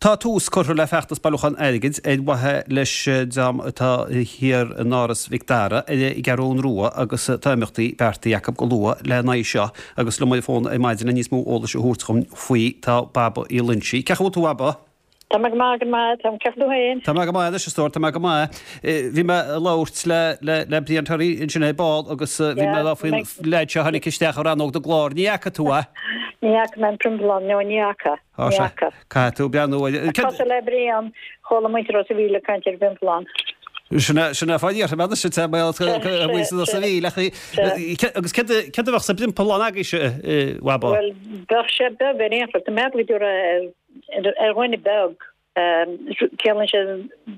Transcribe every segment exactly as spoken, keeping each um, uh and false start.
Tá tús curtha le feachtas bailiúcháin airgid ar mhaithe leis dream atá thiar in Áras Mhic Dara ar an gCeathrú Rua agus tá imeachtaí beartaithe acu go luath lena aghaidh seo agus liom ar an bhfón ar maidin le níos mó eolais a thabhairt dhom faoi tá Baba Uí Loinsigh. Cén chaoi a bhfuil tú a Bhaba? Tá mé go maith go maith tá ceach tú féin. Tá mé go maith leis stór tá mé go maith. Bhí mé ag labhairt le le le Brian Terry ansin ar ball agus bhí mé faoin leaid seo tháinig isteach ar rannóg do ghlór. Ní fhaca tú é? Ní fhaca mé an priompallán nó ní fhaca. Ní fhaca. Caithfidh tú breathnú Cosúil le Brian chuala muintir Ros an Mhíl ag caint ar an bpriompallán. Sin é fáth iarrtha mé se sa mhí le agus céard a bheadh sa bpriompallán agaibhse a Bhaba? Well bheadh sé beag ar aon chor, tá mé go ar dhuine beag ciallaíonn sé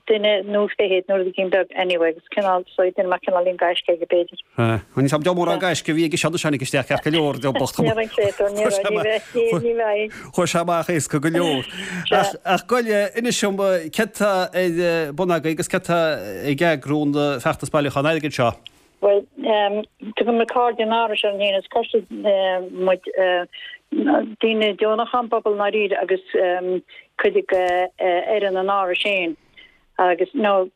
duine nó fiche nó rud éigin beag anyway agus cineál so duine mar cineál gaisce aige b'fhéidir. Ní sam mórán gaisce a bhí ag sean sean isteach ceart go leor de bocht. Chuir sé amach éasca go leor. Ach goile inis dom céard atá ar bun agaibh agus céard atá ag eagrú an feachtas bailiúcháin airgid seo. Well tugann muid Cairde an Árais orainn féin is coiste muid daoine deonacha an pobal i ndáiríre agus cuid de fhoireann an Árais féin agus nó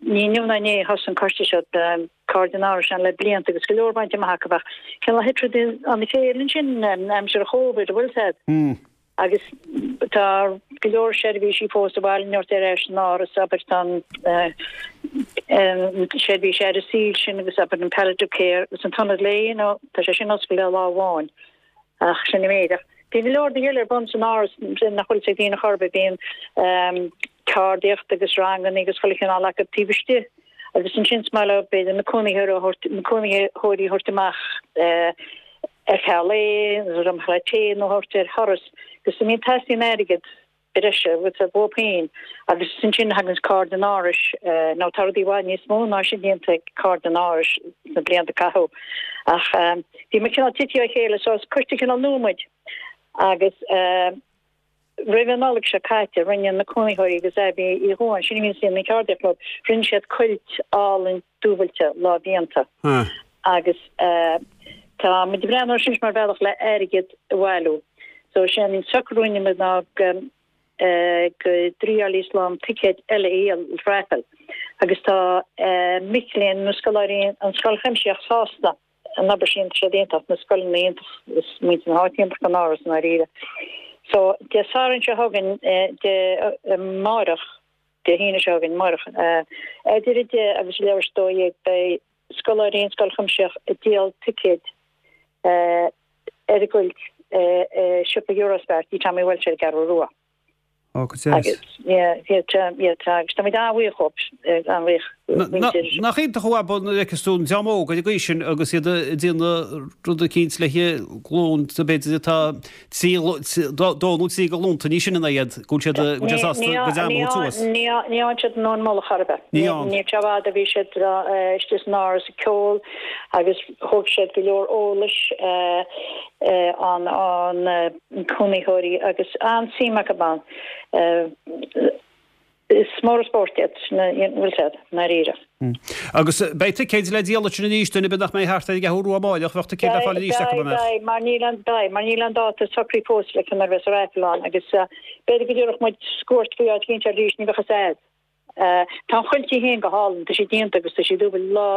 ní inniu ná inné a thosaigh an coiste seo Cairde an Árais ann le blianta agus go leor bainte amach acu ach cineál thit rudaí as a chéile ansin aimsir Covid bhfuil a fhios agat. Agus tá go leor seirbhísí fós i bhfad neart ar ais san áras, abair tá an seirbhís aire saoil sin agus abair an palliative care agus an t-ionad lae, you know, tá sé sin oscailte lá amháin ach sin an méid. Ach bíonn go leor rudaí eile ar bun san áras nach bhfuil a fhios ag daoine chor ar bith, bíonn ceardaíocht agus ranganna agus chuile chineál acu taobh istigh agus ansin is maith leo b'fhéidir na cónaitheoirí a thabhairt, na cónaitheoirí a thabhairt amach ar feadh lae nó dromchla tae nó a thabhairt ar thuras agus I mean teastaíonn airgead breise with a bhó féin agus ansin thagann Cairde an Árais nó tá rudaí i bhfad níos mó ná sin déanta ag Cairde an Árais sna blianta a caitheadh ach bhí muid cineál tite ó chéile so is coiste cineál nua muid agus Roimh an Nollaig seo caite, rinne na cónaitheoirí agus Abbie Uí Dhubháin, sin a bhíonn ag déanamh na ceardaíochta leo, rinne siad cuilt álainn dúbailte lámhdhéanta agus tá muid ag breathnú air sin mar bhealach le airgead a bhailiú. So sé an socrú a rinne muid ná go go dtriáilfí slám ticéid eile a dhíol, raffle, agus tá mic léinn nó scoláirí an Scoil Chuimsitheach sásta. An obair sin, tá siad iontach, na scoileanna iontach, is muintir na háite iontach don áras i ndáiríre. So, Dé Sathairn seo chugainn, Dé amárach, Dé hAoine seo chugainn, amárach, idir a deich agus leathuair tar éis a dó dhéag, beidh scoláirí an Scoil Chuimsitheach ag díol ticéid ar an gcuilt i siopa Eurospar, Tigh Tommy Walsh ar an gCeathrú Rua. Ó, go deas. Agus, yeah, yeah, tá, yeah, tá, agus táimid an-bhuíoch dhóibh, an-bhuíoch, muintir. Nach iontach a Bhaba nuair a fheiceas tú an dream óg ar an gcaoi sin agus iad ag déanamh rud eicínt le glúnta b'fhéidir atá trí, dó nó trí de ghlúnta níos sine ná iad, go bhfuil siad, go bhfuil siad sásta go dtearn a thabhairt suas. Ní, ní fhaigheann siad an tóin mullach ar bith. Ní fhaigheann. Ní raibh sé i bhfad a bhí siad istigh san áras ag ceol agus thóg siad go leor eolais an, an, cónaitheoirí agus an-suim acu ann. Is mór an spórt iad, bhfuil siad, i ndáiríre. Agus beidh ticéid le díol ansin arís, duine ar bith nach mbeidh thart ar an gCeathrú Rua amáireach, bheadh ticéid le fáil arís acu, an mbeadh? Beidh, mar níl an, beidh, mar níl an dáta socraithe fós le conas a bheas an raifil ann agus b'fhéidir go dtabharfadh muid scuairt faoi áit éicint arís, ní bheadh fhios a'd. Tá an chuilt í féin go hálainn, tá sí déanta agus tá sí dúbailte. Lá,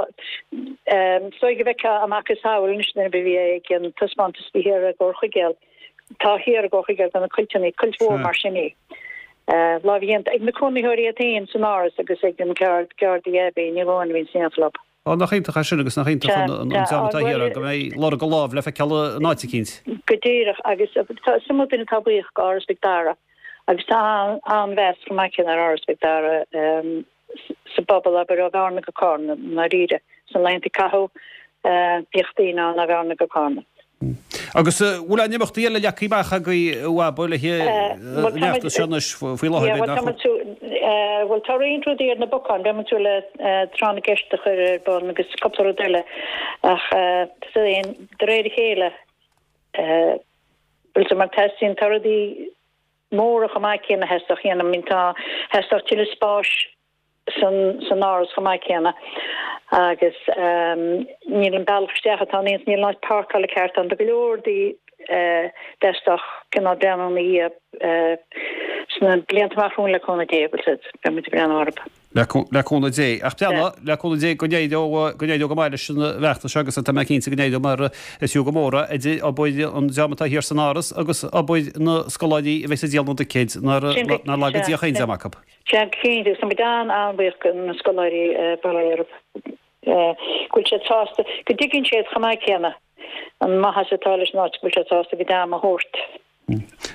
is dóigh go bhfeicfeá a macasamhail anois duine ar bith a bhí ag an taispeántas a bhí thiar i gComhar Chuigéal. Tá thiar i gComhar Chuigéal de na cuilteanna, cuilt mhór mar sin í. Lámhdhéanta ag na cónaitheoirí iad féin san áras agus ag an gceardaí Abbie Ní Dhubháin a bhíonn san éineacht leo. Á, nach iontach é sin agus nach iontach an dream atá thiar go mbeidh lorg a lámh le feiceáil in áit eicínt. Go díreach agus is iomaí duine atá buíoch go Áras Mhic Dara agus tá an-mheas chomh maith céanna ar Áras Mhic Dara sa bpobal, abair, ó Bhearna go Cárna i ndáiríre. Sna laethanta a caitheadh bhíodh daoine ann ó Bhearna go Cárna. Agus an bhfuil aon imeachtaí eile leagtha amach agaibh a Bhaba le an fheachtas seo anois faoi láthair b'fhéidir nach bhfuil? Bhuel tá roinnt rudaí ar na bacáin, beidh muid ag súil le tráth na gceist a chur ar bun agus cúpla rud eile ach de réir a chéile bhfuil mar teastaíonn tá rudaí móra chomh maith céanna a theastódh a dhéanamh, I mean tá theastódh tuilleadh spáis san san áras chomh maith céanna agus níl an bealach isteach atá ann níl an áit páirceála ceart ann. Tá go leor rudaí Theastódh cineál breathnú ina dhiaidh sna blianta amach romhainn le cúnamh Dé, bhfuil 'fhios a'd, beidh muid ag breathnú orthu. Le cúnamh Dé. Ach breathnaigh, le cúnamh Dé, go n-éireoidh, go n-éireoidh go maith leis an bhfeachtas seo agus tá mé cinnte go n-éireoidh mar is fiú go mór é, idir obair an dream atá thiar san Áras agus obair na scoláirí a bheas ag díol na dticéid, nár laga Dia chaon dream acu. Sea, cinnte, agus tá muid an-an-bhuíoch de na scoláirí, bail ó Dhia orthu, go bhfuil siad sásta, go dtuigeann siad chomh maith céanna an maitheas atá leis an áit, go bhfuil siad sásta a gcuid ama a thabhairt.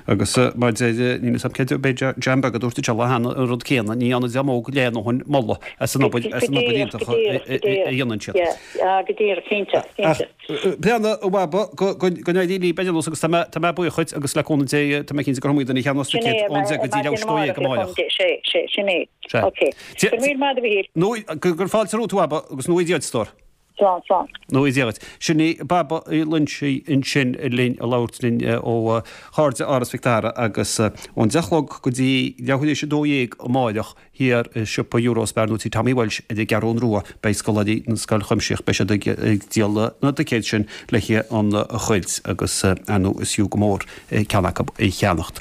Agus mar deir, níl 'fhios a'm cé b'fhéidir Jam Beag a dúirt an lá cheana an rud céanna, ní dhéanann dream óg lena ndóthain moladh as an obair, as an obair iontach a dhéanann siad. Yeah, go díreach, cinnte, cinnte. Breathnaigh, a Bhaba, go n-éirí libh ar aon nós agus tá mé, tá mé buíoch dhuit agus le cúnamh Dé, tá mé cinnte gur iomaí duine a cheannós ticéad ón deich go dtí leathuair tar éis a dó dhéag amárach. Sé, sé, sin é. Ok. Go raibh míle maith agat, a Mhíchíl. Nó, gur fáilte romhat, a Bhaba, agus go ngnóthaí Dia duit, a stór. Slán, slán. Go ngnóthaí Dia duit. Sin í Baba Uí Loinsigh ansin linn ag labhairt linn ó Chairde Áras Mhic Dara agus ón deich a chlog go dtí leathuair tar éis a dó dhéag amáireach thiar i siopa Eurospar nó Tí Tommy Walsh ar an gCeathrún Rua beidh scoláirí na Scoil Chuimsitheach beidh siad ag díol na dticéad sin le haghaidh an chuilt agus ar ndóigh is fiú go mór ceann acu a cheannacht.